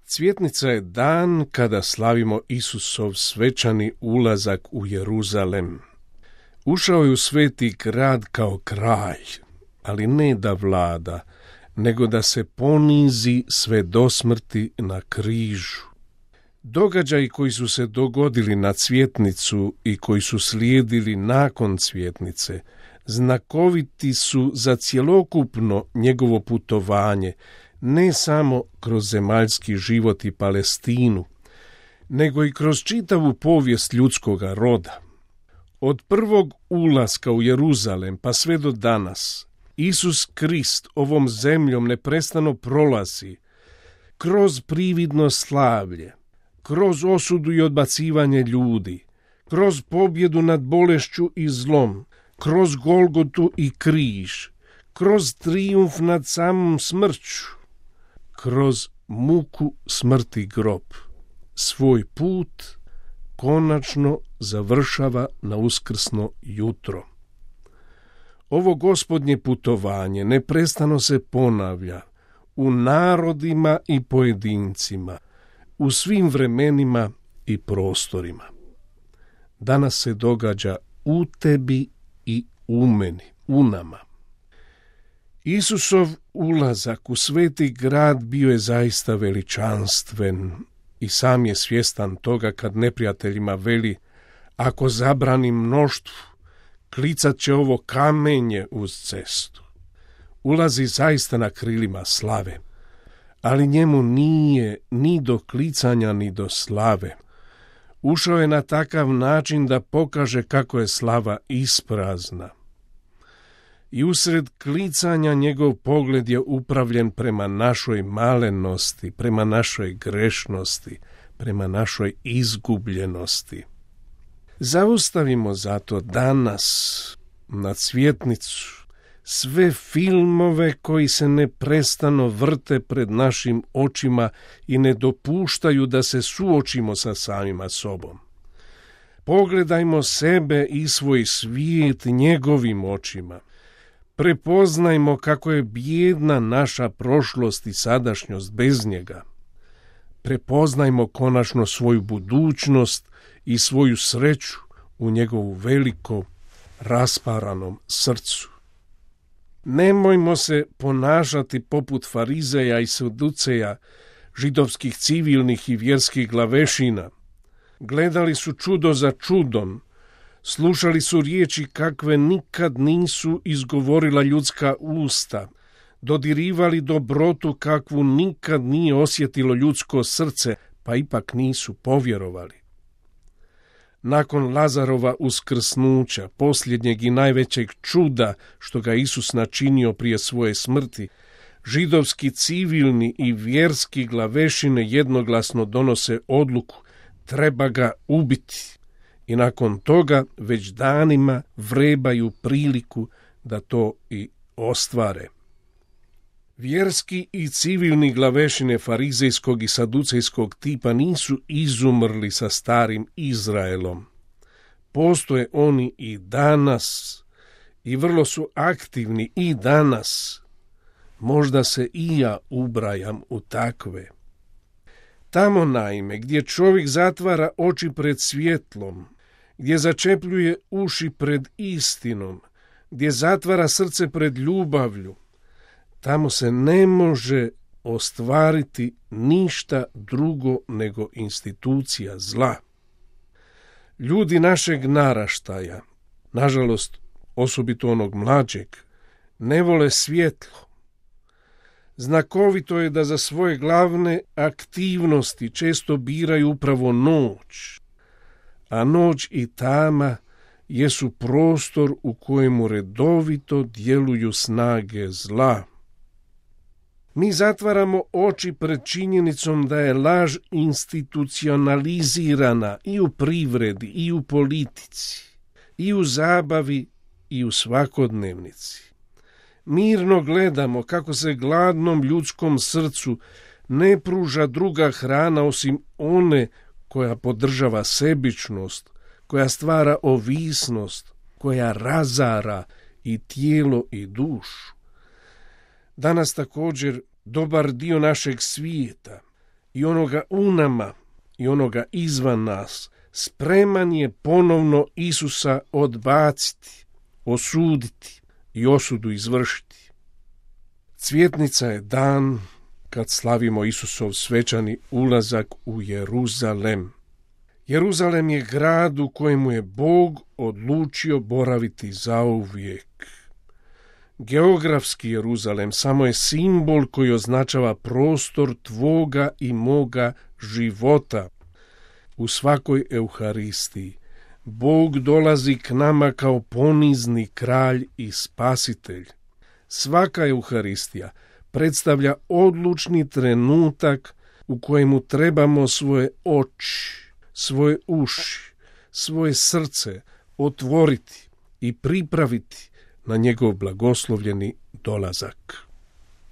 Cvjetnica je dan kada slavimo Isusov svečani ulazak u Jeruzalem. Ušao je u sveti grad kao kralj, ali ne da vlada, nego da se ponizi sve do smrti na križu. Događaji koji su se dogodili na cvjetnicu i koji su slijedili nakon cvjetnice znakoviti su za cjelokupno njegovo putovanje, ne samo kroz zemaljski život i Palestinu, nego i kroz čitavu povijest ljudskoga roda. Od prvog ulaska u Jeruzalem pa sve do danas, Isus Krist ovom zemljom neprestano prolazi kroz prividno slavlje, kroz osudu i odbacivanje ljudi, kroz pobjedu nad bolešću i zlom, kroz Golgotu i križ, kroz trijumf nad samom smrću, kroz muku, smrt i grob. Svoj put konačno završava na uskrsno jutro. Ovo gospodnje putovanje neprestano se ponavlja u narodima i pojedincima, u svim vremenima i prostorima. Danas se događa u tebi i u meni, u nama. Isusov ulazak u sveti grad bio je zaista veličanstven i sam je svjestan toga kad neprijateljima veli: ako zabrani mnoštvu, klicat će ovo kamenje uz cestu. Ulazi zaista na krilima slave, ali njemu nije ni do klicanja ni do slave. Ušao je na takav način da pokaže kako je slava isprazna. I usred klicanja njegov pogled je upravljen prema našoj malenosti, prema našoj grešnosti, prema našoj izgubljenosti. Zaustavimo zato danas na cvjetnicu sve filmove koji se neprestano vrte pred našim očima i ne dopuštaju da se suočimo sa samima sobom. Pogledajmo sebe i svoj svijet njegovim očima. Prepoznajmo kako je bijedna naša prošlost i sadašnjost bez njega. Prepoznajmo konačno svoju budućnost i svoju sreću u njegovu veliko rasparanom srcu. Nemojmo se ponašati poput farizeja i saduceja, židovskih civilnih i vjerskih glavešina. Gledali su čudo za čudom, slušali su riječi kakve nikad nisu izgovorila ljudska usta, dodirivali dobrotu kakvu nikad nije osjetilo ljudsko srce, pa ipak nisu povjerovali. Nakon Lazarova uskrsnuća, posljednjeg i najvećeg čuda što ga Isus načinio prije svoje smrti, židovski civilni i vjerski glavešine jednoglasno donose odluku: treba ga ubiti. I nakon toga već danima vrebaju priliku da to i ostvare. Vjerski i civilni glavešine farizejskog i saducejskog tipa nisu izumrli sa starim Izraelom. Postoje oni i danas i vrlo su aktivni i danas. Možda se i ja ubrajam u takve. Tamo naime gdje čovjek zatvara oči pred svjetlom, gdje začepljuje uši pred istinom, gdje zatvara srce pred ljubavlju, tamo se ne može ostvariti ništa drugo nego institucija zla. Ljudi našeg naraštaja, nažalost osobito onog mlađeg, ne vole svjetlo. Znakovito je da za svoje glavne aktivnosti često biraju upravo noć, a noć i tama jesu prostor u kojemu redovito djeluju snage zla. Mi zatvaramo oči pred činjenicom da je laž institucionalizirana i u privredi, i u politici, i u zabavi, i u svakodnevnici. Mirno gledamo kako se gladnom ljudskom srcu ne pruža druga hrana osim one koja podržava sebičnost, koja stvara ovisnost, koja razara i tijelo i dušu. Danas također dobar dio našeg svijeta i onoga u nama i onoga izvan nas, spreman je ponovno Isusa odbaciti, osuditi i osudu izvršiti. Cvjetnica je dan kad slavimo Isusov svečani ulazak u Jeruzalem. Jeruzalem je grad u kojemu je Bog odlučio boraviti zauvijek. Geografski Jeruzalem samo je simbol koji označava prostor tvoga i moga života. U svakoj Euharistiji Bog dolazi k nama kao ponizni kralj i spasitelj. Svaka Euharistija predstavlja odlučni trenutak u kojemu trebamo svoje oči, svoje uši, svoje srce otvoriti i pripraviti na njegov blagoslovljeni dolazak.